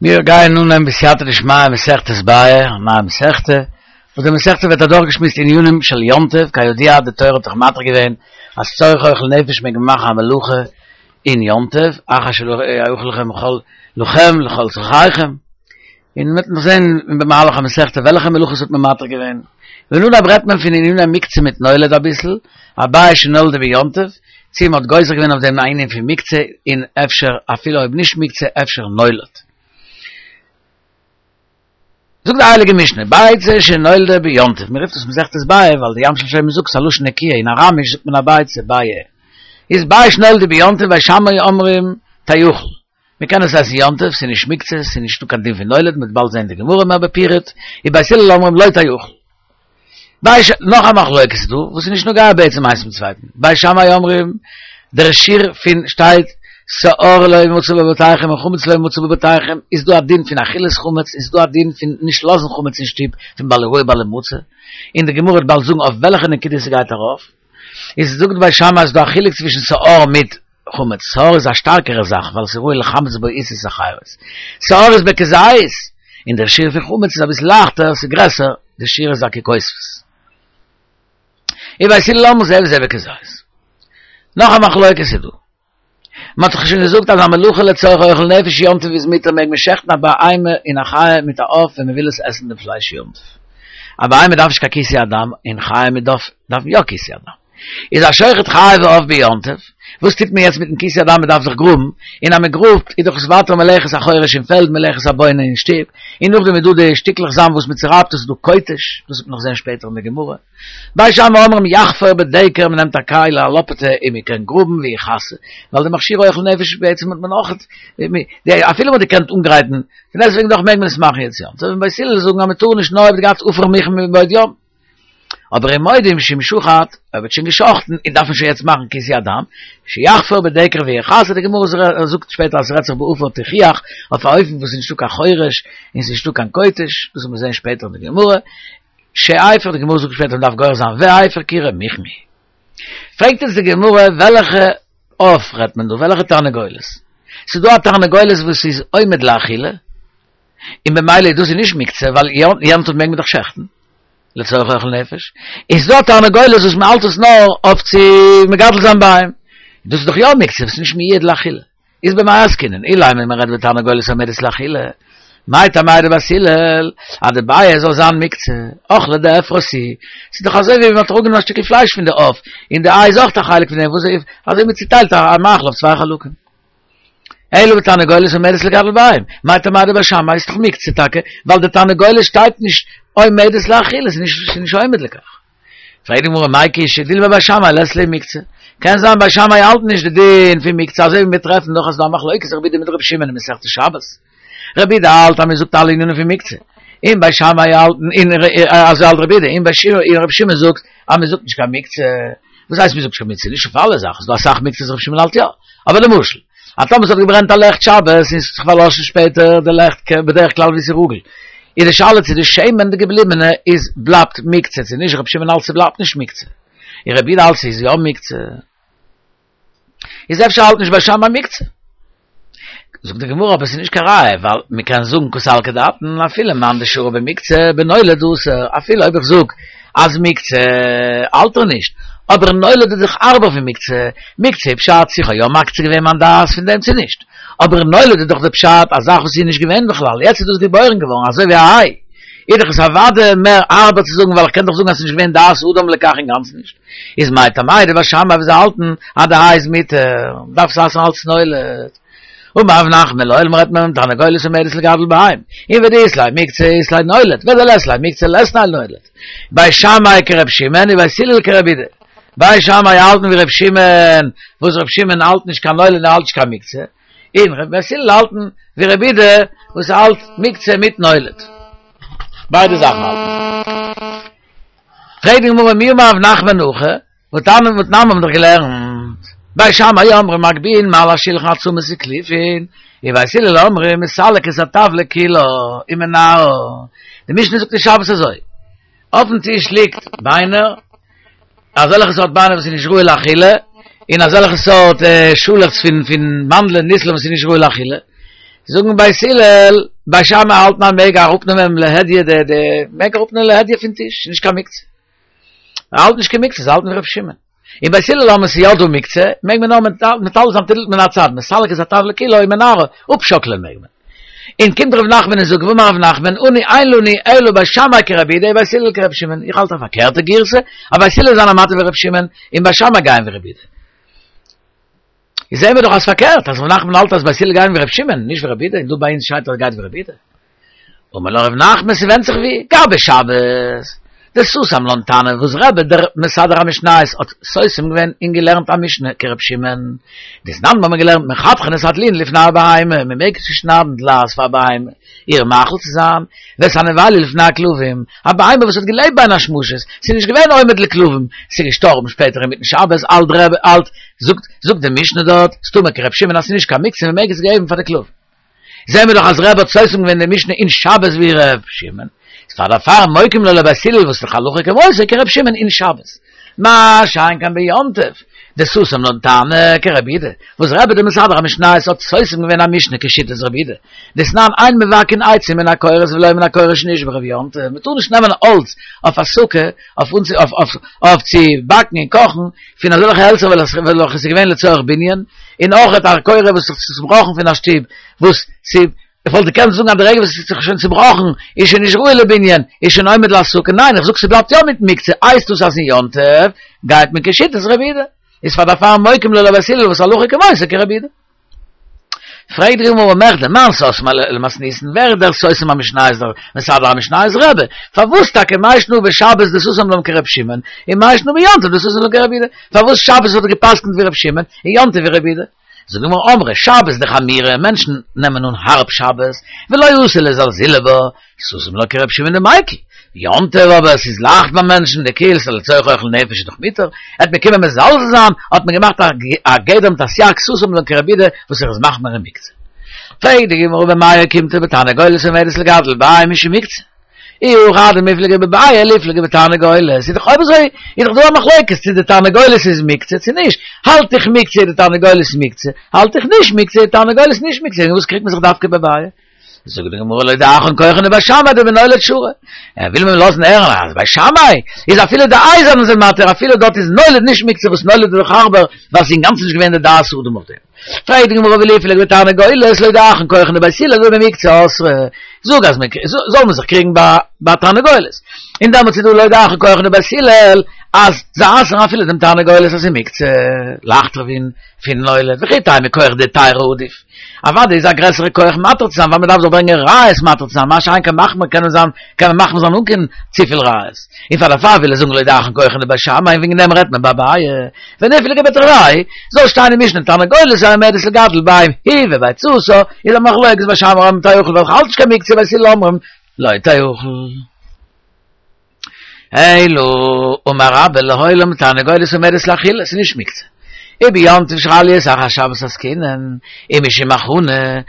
מיר גייען אנהייבן בסייעתא דשמיא מסכת ביעא, א נייע מסכתא, וואס די מסכתא ווערט אדורכגעשמועסט ענינים של יום טוב, כידוע די תורה האט דאך מתיר געווען אז צורך אוכל נפש מעג מען מאכן א מלאכה אין יום טוב, אחר שיאכל לכם לכל לכם לכל צרכיכם, און מ'וועט נאך זען במהלך המסכתא וועלכע מלאכות האט מען מתיר געווען, און אנהייב רעדט מען פון עניני מוקצה מיט נולד אביסל, א ביעא שנולדה ביום טוב, צי מ'האט גוזר געווען אויף דעם א ענין פון מוקצה, און אפשר אפילו אויב נישט מוקצה אפשר נולד. זאגט די הייליגע משנה, ביצה שנולדה ביום טוב, מ'רופט עס מסכת ביעא ווייל די ים של שלמה זאגט ס'איז א לשון נקיה, אין אראמיש זאגט מען א ביצה, ביעא. איז ביעא שנולדה ביום טוב, בית שמאי אומרים תאכל. מען קען עס עסן יום טוב, ס'איז נישט מוקצה, ס'איז נישטא קיין דין פון נולד, מ'וועט באלד זען די גמרא מער בפירוט, ובית הלל אומרים לא תאכל. בית ש, נאך א מחלוקת איז דא, וואס איז נישט נוגע בעצם איינס צום צווייטן, בית שמאי אומרים, דער שיעור פון שטייט שאור לא ימצא בבתיכם און חמץ לא ימצא בבתיכם, איז דא א דין פון אכילת חמץ, איז דא א דין פון נישט לאזן חמץ אין שטוב, פון בל יראה בל ימצא, און די גמרא וועט באלד זאגן אויף וועלכע נקודה ס'גייט ארויף, איז זאגט בית שמאי אז ס'דא א חילוק צווישן שאור מיט חמץ, שאור איז א שטארקערע זאך ווייל ס'איז ראוי לחמץ בו עיסות אחרות. שאור איז בכזית, און דער שיעור פון חמץ איז אביסל לייכטער, ס'איז גרעסער, די שיעור איז א ככותבת. ובית הלל אומרים זה וזה בכזית. נאך א מחלוקת איז דא. מ'האט דאך שוין געזאגט אז א מלאכה לצורך אוכל נפש יום טוב איז מותר מעג מען שעכטן א בהמה און א חיה מיט א עוף ווען מ'וויל עס עסן די פלייש יום טוב. א בהמה דארף נישט קיין כיסוי הדם און חיה מיט עוף דארפן יא כיסוי הדם. איז השוחט חיה ועוף ביום טוב, וואס טוט מען יעצט מיטן כיסוי הדם מען דארף דאך גראבן, און אז מען גראבט איז דאך עס ווייטער מלאכת החורש אין פעלד מלאכת הבונה אין שטוב, און נאכדעם איז דא די שטיקלעך זאמד וואס מען צורייבט עס איז דא קוטש, דאס וועט מען נאך זען שפעטער אין די גמרא. בית שמאי אומרים יחפור בדקר מען נעמט א כלי א לאפעטע און מען קען גראבן ויכסה, ווייל די מכשיר אוכל נפש בעצם האט מען אויך, אפילו מען האט געקענט אנגרייטן, פון דעסטוועגן דאך מעג מען עס מאכן יעצט יום טוב, און בית הלל זאגן אז מען טאר נישט נאר אויב דו גייסט עפר מוכן מבעוד יום. אבער ומודים שאם שחט, אויב האט שוין געשחטן און דארף מען שוין יעצט מאכן כיסוי הדם, שיחפור בדקר ויכסה, די גמרא זאגט שפעטער אז ס'רעדט זיך בעפר תיחוח, אויף א אופן וואס איז נישטא קיין חורש און ס'איז נישטא קיין קוטש, דאס וועט מען זען שפעטער אין די גמרא, שאפר, די גמרא זאגט שפעטער מ'דארף גורס זיין ואפר כירה מוכן הוא. פרעגט אונז די גמרא וועלכע עוף רעדט מען דא, וועלכע תרנגולת? ס'איז דא א תרנגולת וואס איז עומד לאכילה, און במילא דאס איז נישט מוקצה ווייל יום טוב מעג מען דאך שעכטן לצורך אוכל נפש, איז דא א תרנגולת וואס מען האלט עס נאר אויף צו מגדל זיין ביעים, דאס איז דאך יא מוקצה וואס איז נישט מיועד לאכילה, איז במאי עסקינן, אילימא מען רעדט בתרנגולת עומדת לאכילה, מאי טעמייהו דבית הלל אז די ביעא זאל זיין מוקצה, אוכלא דעפרא ס'איז דאך אזוי ווי מען האט אראפגענומען א שטיקל פלייש פון די עוף, און די איי איז אויך א חלק פון דעם, וואס איז אזוי מען צוטיילט א מאכל אויף צוויי חלקים. אלא בתרנגולת עומדת לגדל ביעים, מאי טעמא דבית שמאי איז דאך מוקצה טאקע, ווייל די תרנגולת שטייט נישט עומדת לאכילה, ס'איז נישט עומד לכך. פרעגט די גמרא מאי קשיא דילמא בית שמאי לית להו מוקצה, קען זיין בית שמאי האלט נישט די דין פון מוקצה אזוי ווי מיר טרעפן נאך אז ס'דא א מחלוקת רבי יהודה מיט רבי שמעון אין מסכת שבת, רבי יהודה האלט אז מען זאגט אלע ענינים פון מוקצה, און בית שמאי האלטן און אזוי האלט רבי יהודה, און בית שמאי און רבי שמעון זאגט אז מען זאגט נישט קיין מוקצה, וואס הייסט מען זאגט נישט קיין מוקצה? נישט אויף אלע זאכן, ס'דא אסאך מוקצות רבי שמעון האלט יא, אבער למשל, אז טאמער ס'האט געברענט א לעכט שבת און ס'האט זיך פארלאשן שפעטער די לעכט בדרך כלל ווי ס'איז רגיל, איז די שאלה צו די שמן די געבליבענע איז בלייבט מוקצה צו נישט, רבי שמעון האלט ס'בלייבט נישט מוקצה, און רבי יהודה האלט ס'איז יא מוקצה. איז אפשר האלט נישט בית שמאי מוקצה. זאגט די גמרא אבער ס'איז נישט קיין ראיה ווייל מ'קען זאגן קא סלקא דעתין אפילו מאן דשרי במוקצה בנולד אסור אפילו אויב איך זאג אז מוקצה האלט ער נישט אבער נולד איז דאך הארבער פון מוקצה, מוקצה איז פשט צו כ'האב יא מקצה געווען מיין דעת פון דעם צו נישט אבער נולד איז דאך די פשט א זאך וואס איז נישט געווען בכלל יעצט איז דאס געבוירן געווארן אזוי ווי א איי איז דאך עס אוודאי מער הארבער צו זאגן ווייל איך קען דאך זאגן אז ס'איז נישט געווען דעת אדם לכך אינגאנצן נישט. איז מאי טעמא דבית שמאי וואס זיי האלטן אז די איי איז מותר, דארף עס אסר'ן אלץ נולד. אמר רב נחמן לעולם רעדט מען תרנגולת עומדת לגדל ביעים, און ודאית ליה מוקצה אית ליה נולד, ודלית ליה מוקצה לית ליה נולד. בית שמאי כר' שמעון ובית הלל כר' יהודה. בית שמאי האלטן ווי ר' שמעון, וואס ר' שמעון האלט נישט קיין נולד און ער האלט נישט קיין מוקצה, און בית הלל האלטן ווי ר' יהודה וואס האלט מוקצה מיט נולד. ביידע זאכן האלטן זיי. פרעגט די גמרא מי אמר רב נחמן הכי, והתניא והתנן מיר האבן דאך געלערנט, בית שמאי אומרים מגביהין מעל השולחן עצמות וקליפין, ובית הלל אומרים מסלק את הטבלה כולה ומנערה, די משנה זאגט אין שבת אזוי, אויפן טיש ליגט ביינער, אזעלכע סארט ביינער וואס איז נישט ראוי לאכילה, און אזעלכע סארט שאלעכץ פון פון מאנדלען ניסלען וואס איז נישט ראוי לאכילה. זאגן בית הלל, בית שמאי האלטן אז מ'מעג אראפנעמען להדיא די די, מ'מעג אראפנעמען להדיא פון טיש, נישט קיין מוקצה. זיי האלטן נישט קיין מוקצה, זיי האלטן ווי ר' שמעון. און בית הלל האלטן ס'איז יא דא מוקצה, מעג מען נאר מטלטל זיין טלטול מן הצד, מסלק את הטבלא כולה ומנערה, אפשאקלען מעג מען. און קומט ר' נחמן און זאגט ואמר ר' נחמן, אנו אין לנו אלא בית שמאי כרבי יהודה ובית הלל כר' שמעון, איך האלט א פארקערטע גירסא, אז בית הלל זענען מתיר ווי ר' שמעון, און בית שמאי גייען ווי רבי יהודה. איז זעהן מיר דאך אז פארקערט, אז ר' נחמן האלט אז בית הלל גייען ווי ר' שמעון, נישט ווי רבי יהודה, און דא ביי אונז שטייט אז גייט ווי רבי יהודה. אמר לך ר' נחמן ס'ווענדט זיך ווי, גבי שבת, דסתם לן תנא וואס רבי דער מסדר המשניות האט סותם געווען און געלערנט א משנה כר' שמעון, דתנן האט מען געלערנט מחתכין את הדלועין לפני הבהמה, מ'מעג צושניידן דלעת פאר א בהמה איר מאכל צו זיין, ואת הנבלה לפני הכלבים, א בהמה וואס האט געלעבט בין השמשות, ס'איז נישט געווען עומד לכלבים, ס'איז געשטארבן שפעטער אינמיטן שבת, האלט רבי האלט, זאגט זאגט די משנה דארט, סתמא כר' שמעון אז ס'איז נישט קיין מוקצה מ'מעג עס געבן פאר די כלבים. זעהן מיר דאך אז רבי האט סותם געווען די משנה אין שבת ווי ר' שמעון, איז פאר דערפאר מוקים לה לבית הלל וואס איז דאך הלכה כמותו כר' שמעון אין שבת. מה שאין כן ביום טוב, דסתם לן תנא כרבי יהודה, וואס רבי דער מסדר המשניות האט סותם געווען א משנה כשיטת רבי יהודה, דתנן אין מבקעין עצים מן הקורות ולא מן הקורה שנשברה ביום טוב, מ'טאר נישט נעמען האלץ אויף א סוכה אויף אויף צו באקן און קאכן פון אזעלכע העלצער וועלכע איז געווען לצורך בנין, און אויך א קורה וואס איז צובראכן פון א שטוב וואס ס' איך וואלט געקענט זאגן אז די רגע וואס עס איז זיך שוין צובראכן איז שוין נישט ראוי לבנין, איז שוין עומד להסקה, ניין איך זאג ס'בלייבט יא מיט מוקצה, הייסט דאס אז אין יום טוב גייט מען כשיטת רבי יהודה, איז פאר דערפאר מוקים לה לבית הלל וואס הלכה כמותו כרבי יהודה. פרעגט די גמרא מכדי מאן סתמא למתניתין, ווער איז דער סותם המשניות דער מסדר המשניות רבי, פארוואס טאקע מאי שנא בשבת דסתם לן כר' שמעון, און מאי שנא ביום טוב דסתם לן כרבי יהודה, פארוואס שבת האט ער געפסקנט ווי ר' שמעון, און יום טוב ווי רבי יהודה? זאגט די גמרא אמרי שבת דחמירא, מענטשן נעמען אן הארב שבת, ולא אתו לזלזולי בה, סתם לה כר' שמעון דמיקל, יום טוב אבער עס איז לייכט ביי מענטשן, דקיל, ס'איז לצורך אוכל נפש איז דאך מותר, העט מען קומען מזלזל זיין, האט מען געמאכט א גדר מיט א סייג סתם לה כרבי יהודה וואס ער איז מחמיר אין מוקצה. פרעגט די גמרא במאי אוקימתא בתרנגולת עומדת לגדל ביעי משום מוקצה. אי הכי אדמיפלגי בביעי ליפלגי בתרנגולת, איז דאך אויב אזוי איז דאך דא א מחלוקת צו די תרנגולת איז מוקצה צו נישט, האלט איך מוקצה איז די תרנגולת מוקצה, האלט איך נישט מוקצה איז די תרנגולת נישט מוקצה, אין וואס קריגט מען זיך דווקא בביעי? זאגט די גמרא להודיעך כחן דבית שמאי דבנולד שרי, ער וויל מיר לאזן הערן אז בית שמאי איז אפילו די איי זענען זיי מתיר אפילו דארט איז נולד נישט מוקצה וואס נולד איז דאך הארבער ווייל ס'איז אינגאנצן נישט געווען די דעת אדם אויף דעם. פרעגט די גמרא וליפלגו בתרנגולת להודיעך כחן דבית הלל דבמוקצה אסרי, זאג אז מען זאל מען זיך קריגן ביי תרנגולת, און דעמאלטס איז דא להודיעך כחן דבית הלל אז זיי אסר'ן אפילו דעם תרנגולת אז ס'איז מוקצה, לייכטער פון נולד, וכי תימא כח דהיתרא עדיף, אוודאי איז א גרעסערע כח מתיר צו זיין ווייל מען דארף דאך ברענגען ראיות מתיר צו זיין, מה שאין כן מחמיר קען מען זיין קען מען מחמיר זיין אן קיין צופיל ראיות, און פאר דערפאר וויל ער זאגן להודיעך כחן דבית שמאי און וועגן דעם רעדט מען ביי ביעי. וניפלגו בתרוייהו, זאל שטיין אין משנה תרנגולת העומדת לגדל ביעים היא וביצתה, איז א מחלוקת בית שמאי אומרים תאכל ווייל כ'האלט נישט קיין מוקצה בית הלל אומרים לא תאכל. אלא אמר רבה לעולם תרנגולת עומדת לאכילה, ס'איז נישט מוקצה. וביום טוב שחל להיות אחר שבת עסקינן, ומשום הכנה,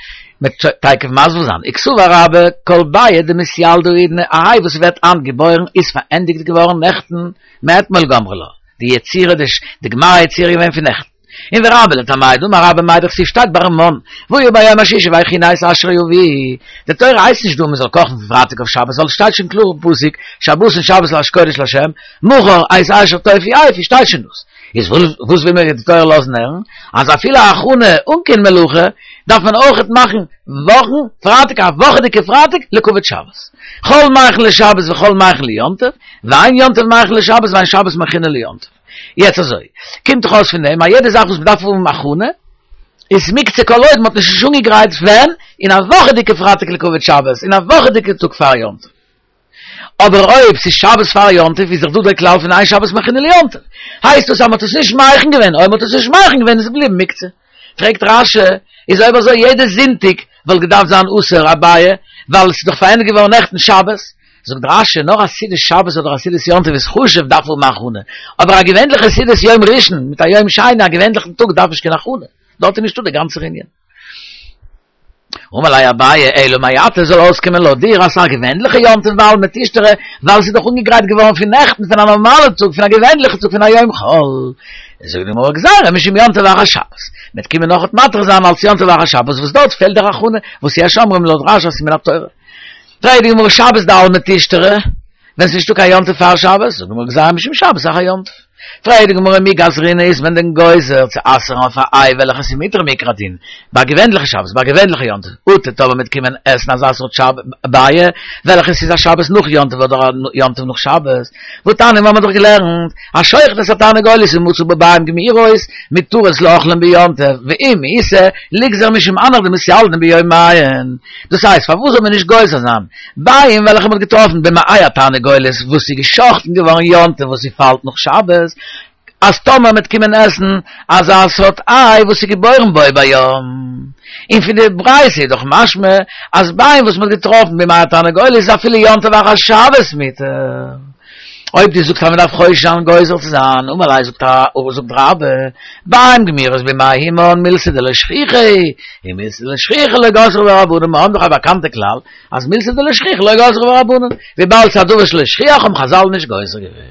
מ'וועט תיכף מסביר זיין, וקסבר רבה כל ביעא דמתילדא האידנא, א איי וואס ווערט היינט געבוירן איז פארענדיגט געווארן נעכטן מאתמול גמרי לה. די יצירה די די גמר היצירה איז געווען פון נעכטן. און ורבה לטעמיה דאמר רבה מאי דכתיב שטייט ביים מן, והיה ביום השישי והכינו את אשר יביאו. די תורה הייסט נישט דא מען זאל קאכן פון פרייטאג אויף שבת ווייל עס שטייט שוין קלאר אין פסוק שבתון שבת לה' קודש לה' מחר את אשר תאפו אפו שטייט שוין דאס. איז וואס וויל מיר די תורה לאזן הערן? אז אפילו א הכנה אן קיין מלאכה דארף מען אויכעט מאכן וואכן פרייטאג א וואכעדיגע פרייטאג לכבוד שבת. חול מכין לשבת וחול מכין ליום טוב. ואין יום טוב מכין לשבת ואין שבת מכינה ליום טוב. יעצט אזוי, קומט דאך אויס פון דעם אז יעדע זאך וואס מ'דארף האבן הכנה, איז מוקצה כל עוד מ'האט נישט אנגעגרייט ווען, אין א וואכעדיגע פרייטאג לכבוד שבת, אין א וואכעדיגע טאג פאר יום טוב. אבער אויב ס'איז שבת פאר יום טוב איז דאך דא דער כלל פון אין שבת מכינה ליום טוב. הייסט דאס אז מ'האט עס נישט מכין געווען, אויב מ'האט עס נישט מכין געווען איז עס געבליבן מוקצה. פרעגט רש"י, איז אויב אזוי יעדע זונטאג וואלט געדארפט זיין אסור א ביעא, ווייל עס איז דאך פארענדיגט געווארן נעכטן שבת. זאגט רש"י, נאר א סעודת שבת אדער א סעודת יום טוב איז חשוב דארף האבן הכנה, אבער א געווענליכע סעודת יום ראשון מיט א יום שני, א געווענליכן טאג דארף נישט קיין הכנה, דארט איז נישטא דער גאנצער ענין. אמר ליה אביי, אלא מעתה זאל אויסקומען לויט דיר אז א געווענליכע יום טוב בעלמא תשתרי, ווייל עס איז דאך אנגעגרייט געווארן פון נעכטן פון א נארמאלע טאג, פון א געווענליכע טאג פון א יום חול. זאגט די גמרא גזירה משום יום טוב אחר שבת, מ'וועט קומען נאכעט מתיר זיין אלס יום טוב אחר שבת וואס דארט פעלט דער הכנה וואס יש אומרים לויט רש"י אז ס'איז מן התורה. פרעגט די גמרא שבת דעלמא תשתרי, ווען ס'איז נישטא קיין יום טוב פאר שבת, זאגט די גמרא גזירה משום שבת אחר יום טוב. פרעגט די גמרא מי גזרינן איז מען דען גוזר צו אסר'ן אויף א איי וועלכע ס'איז מותר מעיקר הדין ביי געווענליכע שבת ביי געווענליכע יום טוב אטו טאמער מ'וועט קומען עסן אזא סארט שב ביעא וועלכע ס'איז א שבת נאך יום טוב אדער א יום טוב נאך שבת והתניא מיר האבן דאך געלערנט השוחט את התרנגולת ומצא בה ביעים גמורות מותרות לאוכלין ביום טוב ואם איתא ליגזר משום הנך דמתילדן ביומיהן דאס הייסט פארוואס זאל מען נישט גוזר זיין ביעים וועלכע מ'האט געטראפן במעי התרנגולת וואס איז גע'שחט'ן געווארן יום טוב וואס ס'פאלט נאך שבת, אז טאמער מ'וועט קומען עסן אזא סארט איי וואס איז געבוירן בו ביום. און פון די ברייתא איז דאך משמע אז ביעים וואס מ'האט געטראפן במעי התרנגולת איז אפילו יום טוב אחר שבת מותר. אויב דו זאגסט אז מ'דארף חושש זיין גוזר צו זיין, אמר ליה זאגט זאגט רבה, ביעים גמורות במעי אמן מילתא דלא שכיחא היא, און מילתא דלא שכיחא לא גזרו בה רבנן, מיר האבן דאך א באקאנטע כלל אז מילתא דלא שכיחא לא גזרו בה רבנן, וויבאלד ס'איז א דבר שלא שכיח האבן חזל נישט גוזר געווען.